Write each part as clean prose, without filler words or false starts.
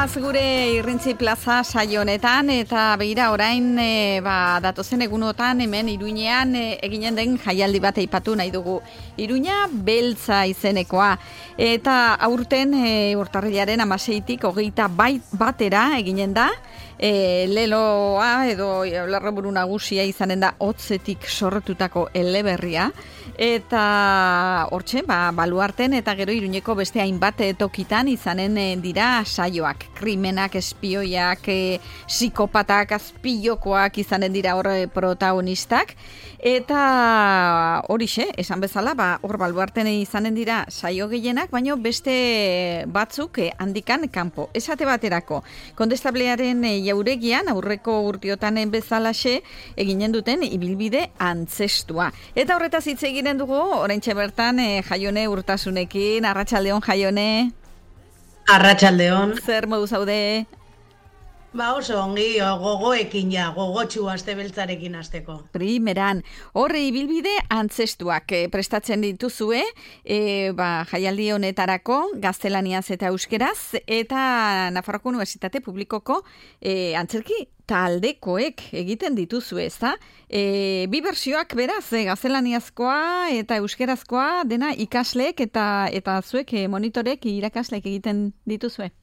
goaz gure Irrintzi Plaza saio honetan, eta begira orain datozen egunotan hemen Iruñean eginen den jaialdi bat aipatu nahi dugu. Iruña beltza izenekoa, eta aurten urtarrilaren 16tik 21 eginen da. Leloa edo lerroburu nagusia izanen da hotzetik sortutako eleberria, eta hortxe, baluarten eta gero Iruñeko beste hainbat tokitan izanen dira saioak. Krimenak, espioiak, psikopatak, azpilokoak izanen dira hor protagonistak, eta horixe, esan bezala, hor baluarten izanen dira saio gehienak, baino beste batzuk handikan kanpo. Esate baterako, Kondestablearen jauregian aurreko urtiotan bezalaxe eginen duten ibilbide antzestua. Eta horretaz hitz eginen dugu, oraintxe bertan Jaione Urtasunekin. Arratsaldeon, Jaione. Arratsaldeon. Zer modu zaude? Oso ongi, gogoekin gogotsu aste beltzarekin hasteko. Primeran, horre ibilbide antzestuak prestatzen dituzue, jaialdi honetarako gaztelaniaz eta euskeraz, eta Nafarroako Unibertsitate Publikoko antzerki taldekoek egiten dituzu, ezta? Bi bertsioak beraz, gaztelaniazkoa eta euskerazkoa dena ikasleek eta zuek monitorek irakasleek egiten dituzue.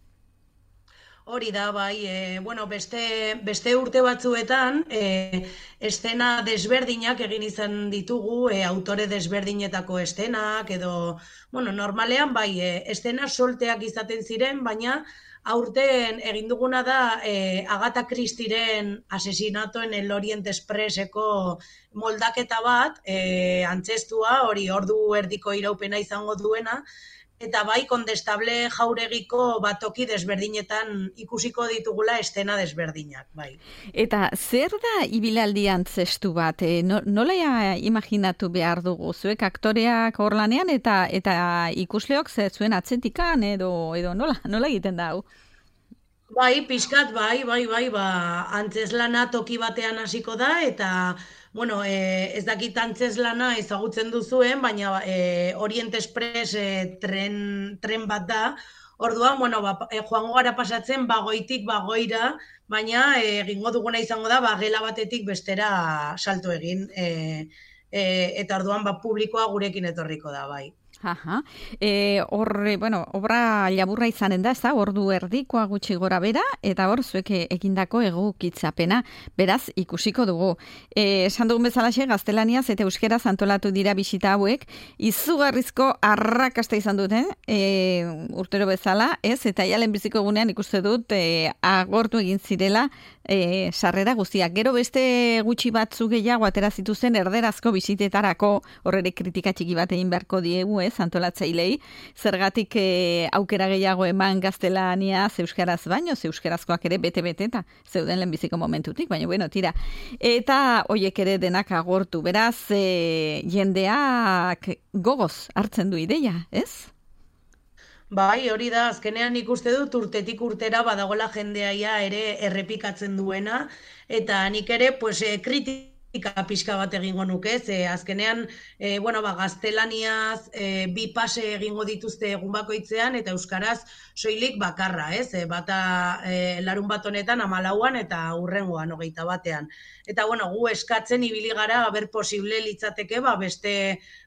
Hori da, beste urte batzuetan estena desberdinak egin izan ditugu, autore desberdinetako estenak, edo, normalean estena solteak izaten ziren, baina aurten egin duguna da Agatha Christieren Asesinatoen el Orient Expresseko moldaketa bat, antzestua, hori ordu erdiko iraupena izango duena, eta Kondestable jauregiko toki desberdinetan ikusiko ditugula estena desberdinak, Eta zer da ibilaldi antzestu bat? Nola imaginatu behar dugu? Zuek aktoreak hor lanean eta ikusleok zuen atzetikan edo nola egiten da hau? Pixkat, antzeslana toki batean hasiko da, eta ez dakit antzeslana ezagutzen duzuen, baina Orient Express tren bat da. Orduan, joango gara pasatzen bagoitik bagoira, baina egingo duguna izango da, gela batetik bestera salto egin, eta orduan publikoa gurekin etorriko da, obra laburra izanen da, ez da, ordu erdikoa gutxi gora bera, eta hor zuek egindako egokitzapena, beraz ikusiko dugu. Esan dugun bezalaxe, gaztelaniaz eta euskeraz antolatu dira bisita hauek, izugarrizko arrakasta izan dute, urtero bezala, ez, eta jalen biziko egunean ikuste dut agortu egin zirela sarrera guztiak. Gero beste gutxi batzu gehiago atera zituzen erderazko bisitetarako, horrere kritika txiki bat egin beharko diegu, antolatzailei, zergatik aukera gehiago eman gaztelaniaz euskaraz baino, euskarazkoak ere bete-bete eta zeuden lehenbiziko momentutik, baina tira. Eta hoiek ere denak agortu, beraz, jendeak gogoz hartzen du ideia, ez? Hori da, azkenean ikuste dut urtetik urtera badagola jendeaia ere errepikatzen duena, eta nik ere kritika pixka bat egingo nuke, azkenean gaztelaniaz bi pase egingo dituzte egun bakoitzean eta euskaraz soilik bakarra, bata larun bat honetan 14an eta hurrengoan 21ean. Eta gu eskatzen ibili gara aber posible litzateke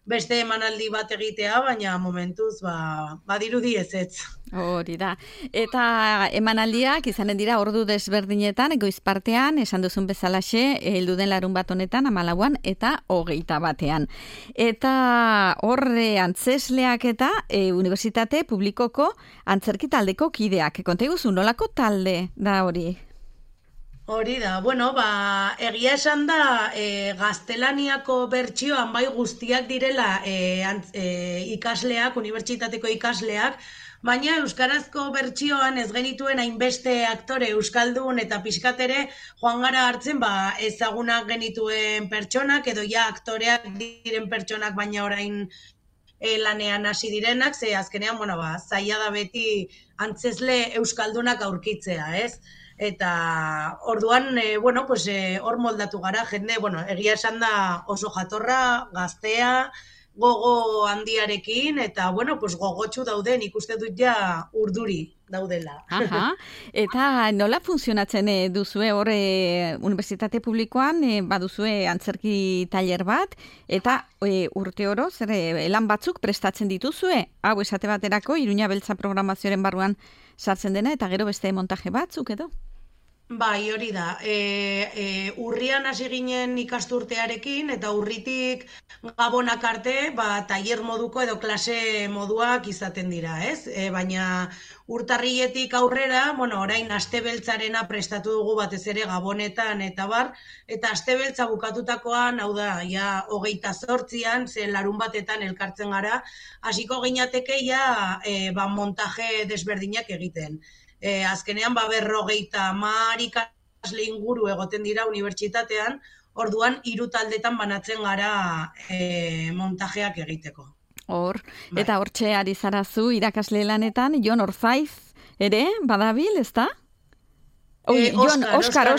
beste emanaldi bat egitea, baina momentuz badirudi ezetz. Hori da. Eta emanaldiak izanen dira ordu desberdinetan, goiz partean, esan duzun bezalaxe, heldu den larun bat honetan 14an eta 21ean. Eta horre antzesleak eta Unibertsitate Publikoko antzerki taldeko kideak. Konta iguzu, nolako talde da hori? Hori da, egia esan da gaztelaniako bertsioan guztiak direla ikasleak, unibertsitateko ikasleak, baina euskarazko bertsioan ez genituen hainbeste aktore euskaldun eta pixkatere joan gara hartzen ezagunak genituen pertsonak edo aktoreak diren pertsonak baina orain lanean hasi direnak, azkenean zaila da beti antzesle euskaldunak aurkitzea, ez? Eta orduan, hor moldatu gara, jende, egia esan da oso jatorra, gaztea, gogo handiarekin, eta, bueno, pues gogotsu dauden, ikuste dut ja urduri daudela. Aha, eta nola funtzionatzen duzue hor unibertsitate publikoan, baduzue antzerki tailer bat, eta urte oro, zer lan batzuk prestatzen dituzue, hau esate baterako, Iruña Beltza programazioaren barruan sartzen dena, eta gero beste montaje batzuk edo? Bai, hori da. Urrian hasi ginen ikasturtearekin, eta urritik gabonak arte, tailer moduko edo klase moduak izaten dira, ez? Baina urtarriletik aurrera, orain astebeltzarena prestatu dugu batez ere gabonetan eta bar, eta astebeltza bukatutakoan, hau da, ja 28an, ze larun batetan elkartzen gara, hasiko ginateke ja montaje desberdinak egiten. Azkenean 50 ikasle inguru egoten dira unibertsitatean, orduan 3 taldetan banatzen gara montajeak egiteko. Hor, eta hortxe ari zarazu irakasle lanetan, Jon Orzaiz ere, badabil, ezta? Oskar,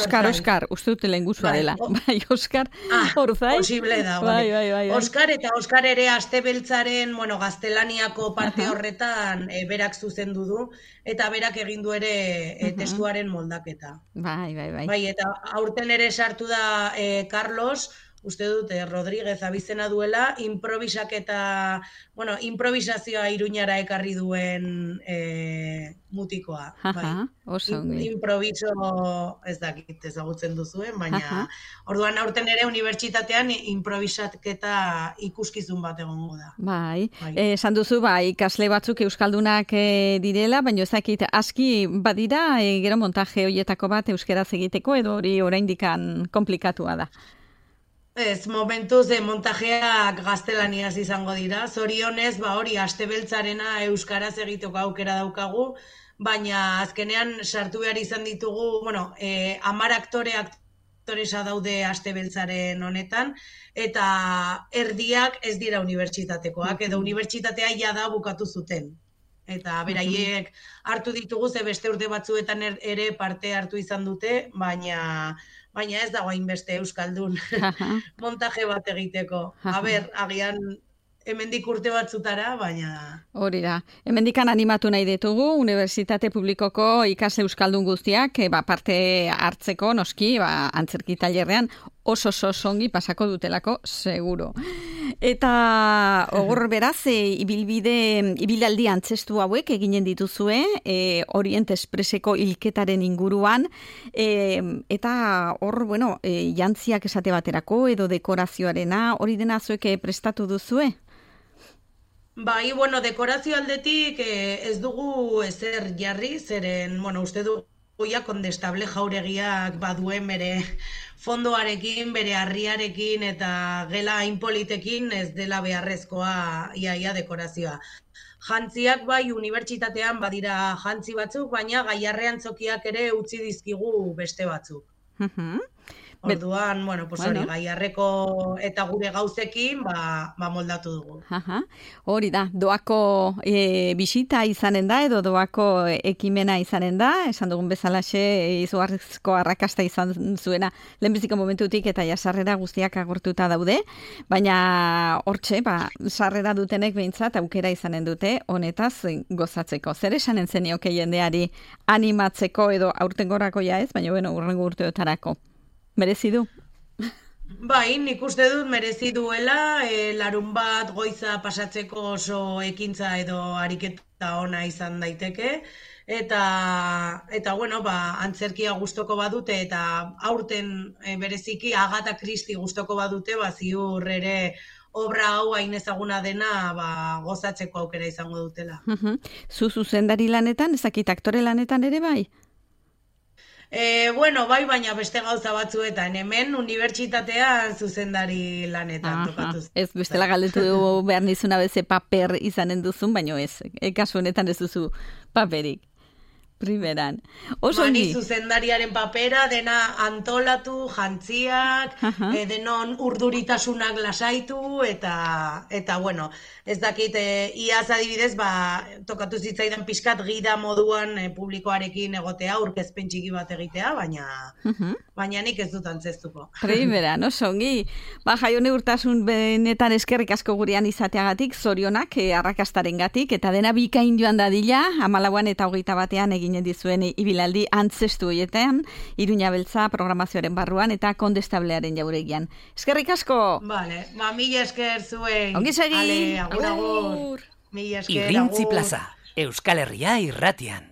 uste dut lehengusua dela. Bai, Oskar Orzaiz. Posible da, bai. Oskar ere astebeltzaren, gaztelaniako parte horretan berak zuzendu du, eta berak egin du ere testuaren moldaketa. Bai. Bai, eta aurten ere sartu da Carlos, uste dut, Rodríguez abizena duela, improvisazioa Iruñara ekarri duen mutikoa. Improviso, ez dakit ezagutzen duzuen, baina orduan aurten ere unibertsitatean improvisaketa ikuskizun bat egongo da. Bai, esan duzu, ikasle batzuk euskaldunak direla, baina ezakit aski badira, gero montaje horietako bat euskeraz egiteko, edo hori oraindikan komplikatua da. Ez, momentuz montajeak gaztelaniaz izango dira. Zorionez, hori astebeltzarena euskaraz egiteko aukera daukagu, baina azkenean sartu behar izan ditugu, 10 aktoresa daude astebeltzaren honetan, eta erdiak ez dira unibertsitatekoak, edo unibertsitatea jada bukatu zuten. Eta beraiek hartu ditugu, ze beste urte batzuetan ere parte hartu izan dute, baina ez dago hainbeste euskaldun montaje bat egiteko. Agian hemendik urte batzutara, baina... Hori da. Hemendikan animatu nahi ditugu, Unibertsitate Publikoko ikasle euskaldun guztiak parte hartzeko, noski, antzerki tailerrean oso ongi pasako dutelako, seguro. Eta hor beraz, ibilaldi antzestu hauek eginen dituzue, Orient Expresseko hilketaren inguruan, eta hor, jantziak esate baterako edo dekorazioarena, hori dena zuek prestatu duzue? Bai, dekorazio aldetik ez dugu ezer jarri, zeren, uste dugu kondestable jauregiak baduen bere fondoarekin, bere harriarekin eta gela hainpolitekin ez dela beharrezkoa iaia dekorazioa. Jantziak unibertsitatean badira jantzi batzuk, baina gaiarrean tzokiak ere utzi dizkigu beste batzuk. Orduan, hori, gaiarreko eta gure gauzekin, moldatu dugu. Hori da, doako bisita izanen da, edo doako ekimena izanen da, esan dugun bezalaxe izugarrizko arrakasta izan zuena lehenbiziko momentutik eta sarrera guztiak agortuta daude, baina hortxe, sarrera dutenek behintzat aukera izanen dute, honetaz gozatzeko. Zer esanen zenioke jendeari animatzeko edo aurtengorako ez, baina urrengo urteotarako. Merezi du? Bai, nik uste dut merezi duela, larun bat goiza pasatzeko oso ekintza edo ariketa ona izan daiteke, eta antzerkia gustoko badute, eta aurten bereziki Agatha Christie gustoko badute, ziur ere obra hau hain ezaguna dena gozatzeko aukera izango dutela. Zuzendari lanetan, ezakit aktore lanetan ere bai? Bai, baina beste gauza batzuetan, hemen unibertsitatean zuzendari lanetan tokatu. Ez, bestela galdetu behar nizuna beze paper izanen duzun, baina ez, kasu honetan ez duzu paperik. Primeran. Oso Mani ongi. zuzendariaren papera, dena antolatu, jantziak, denon urduritasunak lasaitu, eta bueno, ez dakit, iaz adibidez, tokatu zitzaidan pixkat gida moduan publikoarekin egotea, aurkezpen txiki bat egitea, baina nik ez dut antzeztuko. Primeran, oso ongi. Jaione Urtasun benetan eskerrik asko gurean izateagatik, zorionak arrakastarengatik, eta dena bikain joan dadila, 14 eta 21 eginen dizuen ibilaldi antzestu horietan, Iruña Beltza programazioaren barruan eta Kondestablearen jauregian. Eskerrik asko! Vale, mila esker zuei. Ongi segi! Ale, agur. Mila esker, Irrintzi plaza, Euskal Herria irratian.